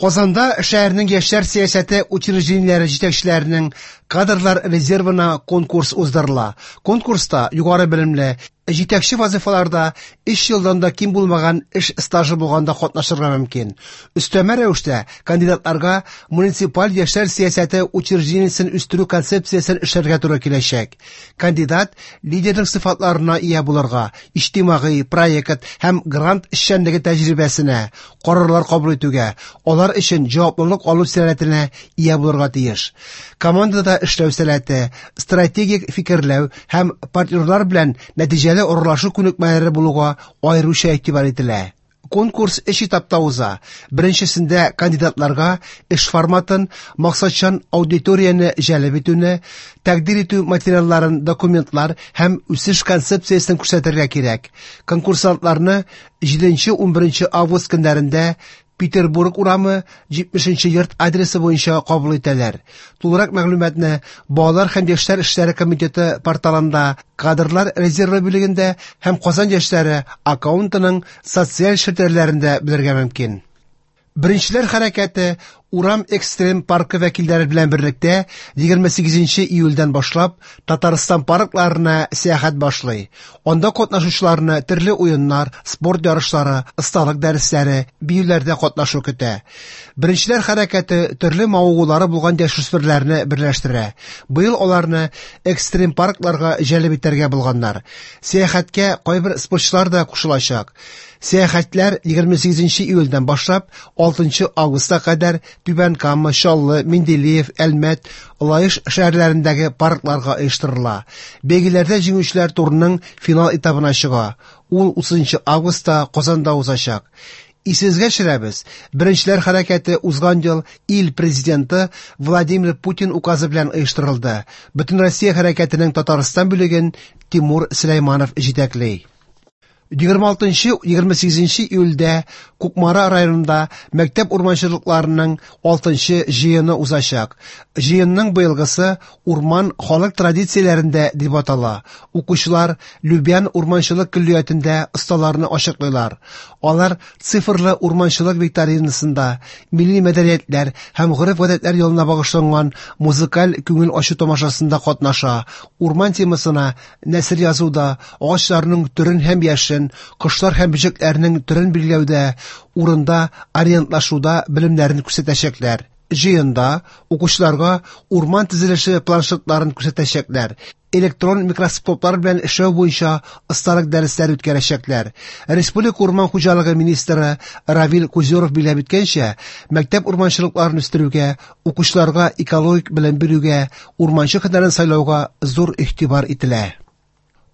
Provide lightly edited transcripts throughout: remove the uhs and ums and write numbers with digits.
Казанда шәһәрнең яшьләр сәясәте учреждениеләре җитәкчеләренең кадрлар резервына конкурс уздырыла. Конкурста югары белемле, җитәкче вазыйфаларда 3 елдан да ким булмаган эш стажы булганда катнашырга мөмкин. Өстәмә рәвештә кандидатларга муниципаль яшьләр сәясәте учреждениесен үстерү концепциясен эшләргә туры киләчәк. Кандидат лидерлык сыйфатларына ия булырга, иҗтимагый, проект һәм грант эшчәнлеге тәҗрибәсенә, карарлар кабул итүгә, алар өчен җаваплылык алу сәләтенә ия булырга тиеш. Командада эшләү сәләте, стратегик фикерләү һәм партнерлар белән нәтиҗәле аралашу күнекмәләре булуга аеруча игътибар ителә. Конкурс өч этапта уза. Беренчесендә кандидатларга эш форматын, максатчан аудиторияне җәлеп итүне, тәкъдир итү материалларын, документлар һәм үсеш концепциясен күрсәтергә кирәк. Конкурсантларны 7-11 август көннәрендә Петербург урамы 70 йорт адресы буенча кабул итәләр. Тулырак мәгълүматны Балалар һәм яшьләр эшләре комитеты порталында, кадрлар резервы бүлегендә һәм Казан яшьләре аккаунтының социаль челтәрләрендә белергә мөмкин. Беренчеләр хәрәкәте Урам экстрем паркы вәкилләре белән берлектә 28 июльдән башлап Татарстан паркларына сәяхәт башлый. Анда катнашучыларны төрле уеннар, спорт ярышлары, осталык дәресләре, биюләрдә катнашу көтә. Беренчеләр хәрәкәте төрле мавыгулары булган яшүсмерләрне берләштерә. Быел аларны экстрем паркларга җәлеп итәргә булганнар. Сәяхәткә кайбер спортчылар да кушылачак. Сәяхәтләр 28 июльдән башлап 6 августка кадәр Түбән Кама, Чаллы, Менделеев, Әлмәт, Лаеш шәһәрләрендәге паркларга оештырыла. Бәйгеләрдә җиңүчеләр турының финал этабына чыга. Ул 30 августта Казанда узачак. Исегезгә төшерәбез, Беренчеләр хәрәкәте узган ел ил президенты Владимир Путин указы белән оештырылды. Бөтенроссия хәрәкәтенең Татарстан бүлеген Тимур Сөләйманов җитәкли. 26-28 июльдә Кукмара районында мәктәп урманчылыкларының 6 җыены узачак. Җыенның быелгысы Урман халык традицияләрендә дип атала. Укучылар Любян урманчылык көллиятендә осталарны ачыклыйлар. Алар цифрлы урманчылык викторинасында, милли мәдәниятләр һәм гореф-гадәтләр елына багышланган музыкаль күңел ачу тамашасында катнаша. Урман темасына нәсер язуда, агачларның төрен һәм яшен, кошлар һәм бөҗәкләрнең төрен билгеләүдә, урында ориентлашуда белемнәрен күрсәтәчәкләр. Җыенда укучыларга урман төзелеше планшетларын күрсәтәчәкләр, электрон микроскоплар белән эшләү буенча осталык дәресләре үткәрәчәкләр. Республика урман хуҗалыгы министры Равил Кузюров билгеләп үткәнчә, мәктәп урманчылыкларын үстерүгә, укучыларга экологик белем бирүгә, урманчы һөнәрен сайлауга зур игътибар ителә.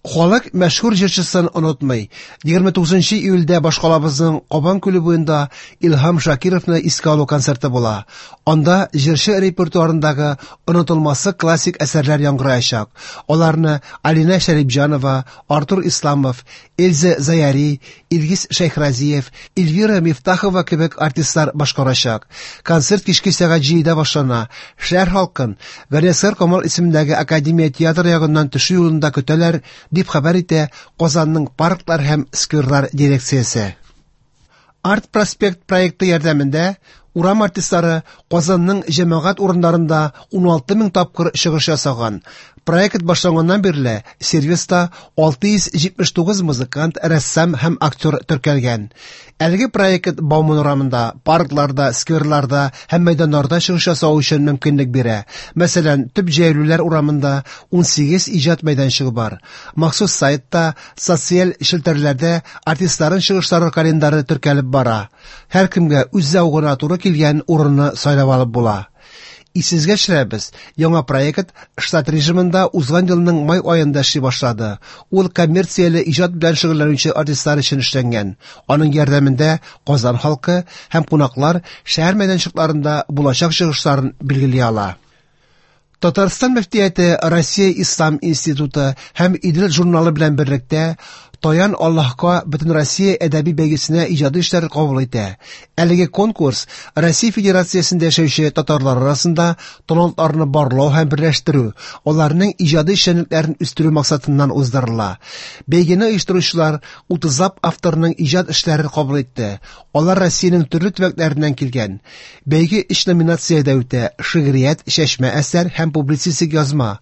Халык мәшһүр җырчысын онытмый. 29 июльдә башкалабызның Кабан күле буенда Илһам Шакировны искә алу концерты була. Анда җырчы репертуарындагы онытылмаслык классик әсәрләр яңгыраячак. Аларны Алинә Шәрипҗанова, Артур Исламов, Эльза Заяри, Илгиз Шәйхразиев, Эльвира Мифтахова кебек артистлар башкарачак. Концерт кичке сәгать 7-дә башлана. Шәһәр халкын Галиәсгар Камал исемендәге Академия театры ягыннан төшү юлында көтәләр, дип хәбәр итә Казанның парклар һәм скверлар дирекциясе. Арт Проспект проекты ярдәмендә урам артистлары Казанның җәмәгать урыннарында 16 мең тапкыр чыгыш ясаган. Проект башланганнан бирле сервиста 679 музыкант, рәссам һәм актер теркәлгән. Әлеге проект Бауман урамында, паркларда, скверларда һәм мәйданнарда чыгыш ясау өчен мөмкинлек бирә. Мәсәлән, төп җәяүлеләр урамында 18 иҗат мәйданчыгы бар. Махсус сайтта, социаль челтәрләрдә артистларның чыгышлары календары теркәлеп бара. Һәркемгә үз зәвыгына туры килгән урынны сайлап алып була. Исегезгә төшерәбез, яңа проект штат режимында узган елның май аенда эшли башлады. Ул коммерцияле иҗат белән шөгыльләнүче артистлар өчен эшләнгән. Аның ярдәмендә Казан халкы һәм кунаклар шәһәр мәйданчыкларында булачак чыгышларын билгели ала. Татарстан мөфтияте Россия Ислам институты һәм Идел журналы белән берлектә Таян Аллаһка Бөтенроссия әдәби бәйгесенә иҗади эшләр кабул итә. Әлеге конкурс Россия Федерациясендә яшәүче татарлар арасында талантларны барлау һәм берләштерү, аларның иҗади эшчәнлекләрен үстерү максатыннан уздырыла. Бәйгене оештыручылар 30лап авторның иҗат эшләрен кабул итте. Алар Россиянең төрле төбәкләреннән килгән. Бәйге өч номинациядә үтә: шигърият, чәчмә әсәр һәм публицистик язма.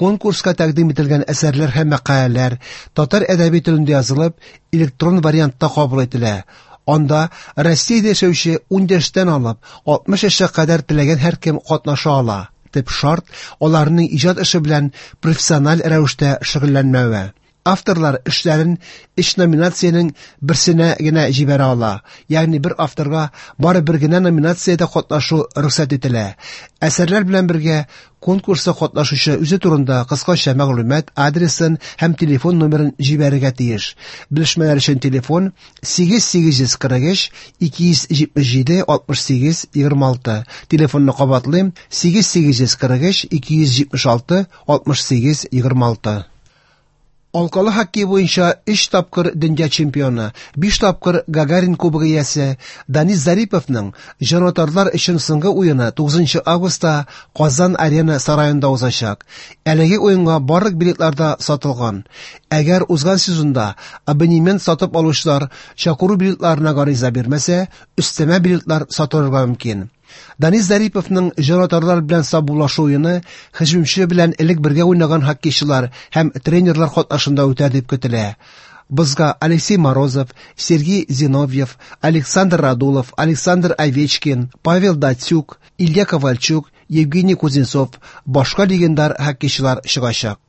Конкурска тәкъдим ителгән әсәрләр һәм мәкаләләр татар әдәби телендә язылып, электрон вариантта кабул ителә. Анда Россиядә яшәүче 10 яшьтән алып 60 яшькә кадәр теләгән һәркем катнаша ала. Төп шарт аларның иҗат эше белән профессиональ рәвештә шөгыльләнмәве. Авторлар эшләрен өч номинациянең берсенә генә җибәрә ала. Ягъни бер авторга бары бер генә номинациядә катнашу рөхсәт ителә. Әсәрләр белән бергә конкурста катнашучы үзе турында кыскача мәгълүмат, адресын һәм телефон номерын җибәрергә тиеш. Белешмәләр өчен телефон 8843 277 68 26. Телефонны кабатлыйм: 8843 276 68 26. Алкалы хоккей буенча 3 тапкыр дөнья чемпионы, 5 тапкыр Гагарин кубогы иясе Данис Зариповның җанатарлар өчен соңгы уены 9 августта Казан Арена сараенда узачак. Әлеге уенга барлык билетлар да сатылган. Әгәр узган сезонда абонемент сатып алучылар чакыру билетларына гариза бирмәсә, өстәмә билетлар сатылырга мөмкин. Данис Зариповның җанатарлар белән саубуллашу уены һөҗүмче белән элек бергә уйнаган хоккейчылар һәм тренерлар катнашында үтәр дип көтелә. Бозга Алексей Морозов, Сергей Зиновьев, Александр Радулов, Александр Овечкин, Павел Дацюк, Илья Ковальчук, Евгений Кузнецов, башка легендар хоккейчылар чыгачак.